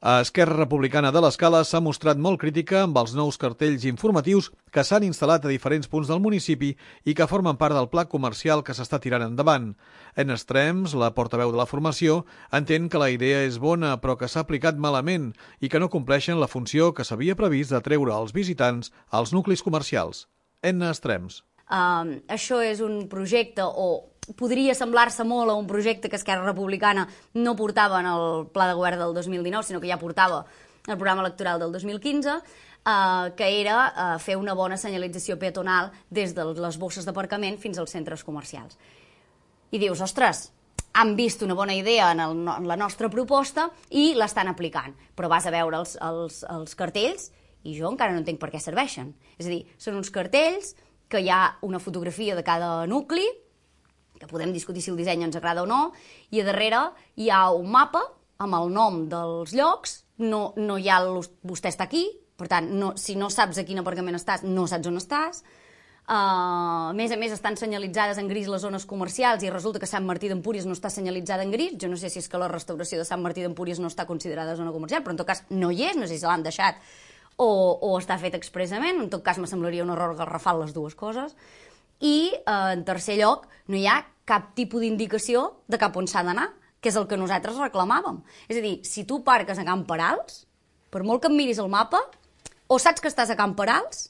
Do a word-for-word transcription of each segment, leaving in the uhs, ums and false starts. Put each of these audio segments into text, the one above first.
Esquerra Republicana de l'Escala s'ha mostrat molt crítica amb els nous cartells informatius que s'han instal·lat a diferents punts del municipi i que formen part del pla comercial que s'està tirant endavant. En Estrems, la portaveu de la formació, entén que la idea és bona però que s'ha aplicat malament i que no compleixen la funció que s'havia previst de treure els visitants als nuclis comercials. En Estrems. Uh, això és un projecte o podria semblar-se molt a un projecte que Esquerra Republicana no portava en el pla de govern del dos mil dinou, sinó que ja portava el programa electoral del dos mil quinze, eh, que era eh, fer una bona senyalització peatonal des de les bosses d'aparcament fins als centres comercials. I dius, ostres, han vist una bona idea en, el, en la nostra proposta i l'estan aplicant, però vas a veure els, els, els cartells i jo encara no entenc per què serveixen. És a dir, són uns cartells que hi ha una fotografia de cada nucli, que podem discutir si el disseny ens agrada o no, i a darrere hi ha un mapa amb el nom dels llocs, no, no hi ha el, vostè està aquí, per tant, no, si no saps a quin aparcament estàs, no saps on estàs. Uh, a més a més, estan senyalitzades en gris les zones comercials i resulta que Sant Martí d'Empúries no està senyalitzada en gris. Jo no sé si és que la restauració de Sant Martí d'Empúries no està considerada zona comercial, però en tot cas no hi és, no sé si l'han deixat o, o està fet expressament. En tot cas, me semblaria un error garrafal les dues coses. I, eh, en tercer lloc, no hi ha cap tipus d'indicació de cap on s'ha d'anar, que és el que nosaltres reclamàvem. És a dir, si tu parques a Can Perals, per molt que em miris el mapa, o saps que estàs a Can Perals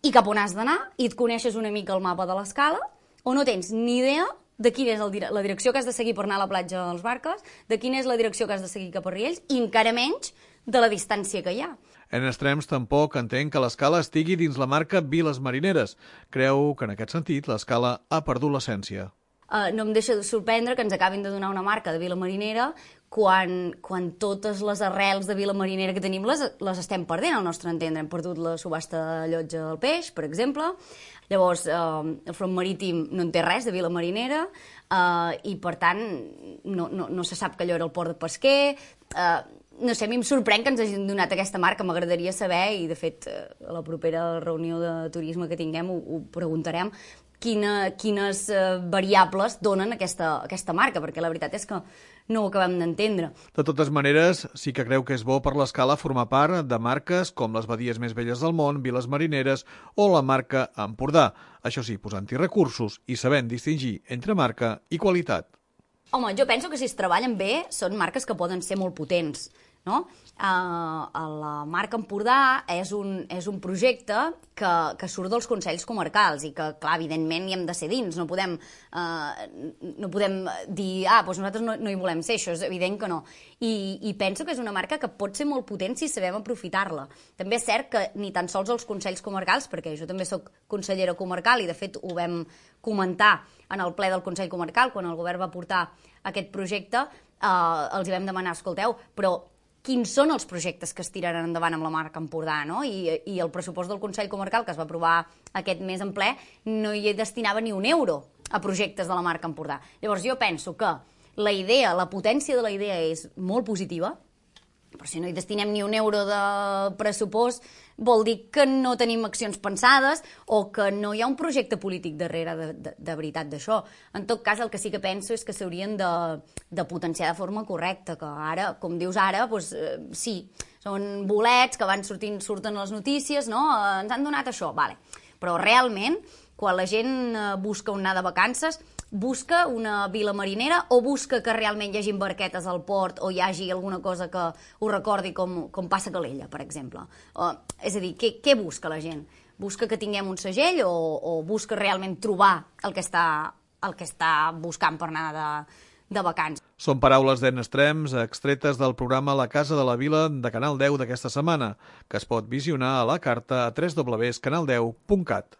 i cap on has d'anar, i et coneixes una mica el mapa de l'escala, o no tens ni idea de quina és el, la direcció que has de seguir per anar a la platja dels Barques, de quina és la direcció que has de seguir cap a Riells, i encara menys de la distància que hi ha. En Estrems tampoc entén que l'Escala estigui dins la marca Viles Marineres. Creu que en aquest sentit l'Escala ha perdut l'essència. Uh, no em deixa de sorprendre que ens acabin de donar una marca de Vila Marinera quan, quan totes les arrels de Vila Marinera que tenim les, les estem perdent, al nostre entendre. Hem perdut la subhasta de llotja del peix, per exemple. Llavors, uh, el front marítim no en té res de Vila Marinera uh, i, per tant, no, no, no se sap que allò era el port de pesquer. Uh, no sé, a mi em sorprèn que ens hagin donat aquesta marca, m'agradaria saber, i de fet a la propera reunió de turisme que tinguem ho, ho preguntarem, quina, quines uh, variables donen aquesta, aquesta marca, perquè la veritat és que no ho acabem d'entendre. De totes maneres, sí que creu que és bo per l'Escala formar part de marques com les badies més velles del món, Viles Marineres o la marca Empordà. Això sí, posant-hi recursos i sabent distingir entre marca i qualitat. Home, jo penso que si es treballen bé són marques que poden ser molt potents, no? Uh, la marca Empordà és un, és un projecte que, que surt dels consells comarcals i que, clar, evidentment hi hem de ser dins, no podem, uh, no podem dir, ah, doncs nosaltres no, no hi volem ser, això és evident que no. I, I penso que és una marca que pot ser molt potent si sabem aprofitar-la. També és cert que ni tan sols els consells comarcals, perquè jo també sóc consellera comarcal i de fet ho vam comentar en el ple del Consell Comarcal, quan el govern va portar aquest projecte, eh, els hi vam demanar, escolteu, però quins són els projectes que es tiraran endavant amb la marca Empordà, no? I, i el pressupost del Consell Comarcal, que es va aprovar aquest mes en ple, no hi destinava ni un euro a projectes de la marca Empordà. Llavors jo penso que la idea, la potència de la idea és molt positiva, però si no hi destinem ni un euro de pressupost vol dir que no tenim accions pensades o que no hi ha un projecte polític darrere de, de, de veritat d'això. En tot cas, el que sí que penso és que s'haurien de, de potenciar de forma correcta, que ara, com dius ara, doncs, eh, sí, són bolets que van sortint, surten a les notícies, no? Eh, ens han donat això, vale. Però realment, quan la gent busca on anar de vacances, busca una vila marinera o busca que realment hi hagi barquetes al port o hi hagi alguna cosa que ho recordi com, com passa a Calella, per exemple. Uh, és a dir, què, què busca la gent? Busca que tinguem un segell o, o busca realment trobar el que està, el que està buscant per anar de, de vacances? Són paraules d'en Estrems extretes del programa La Casa de la Vila de Canal deu d'aquesta setmana, que es pot visionar a la carta a w w w punt canal deu punt cat.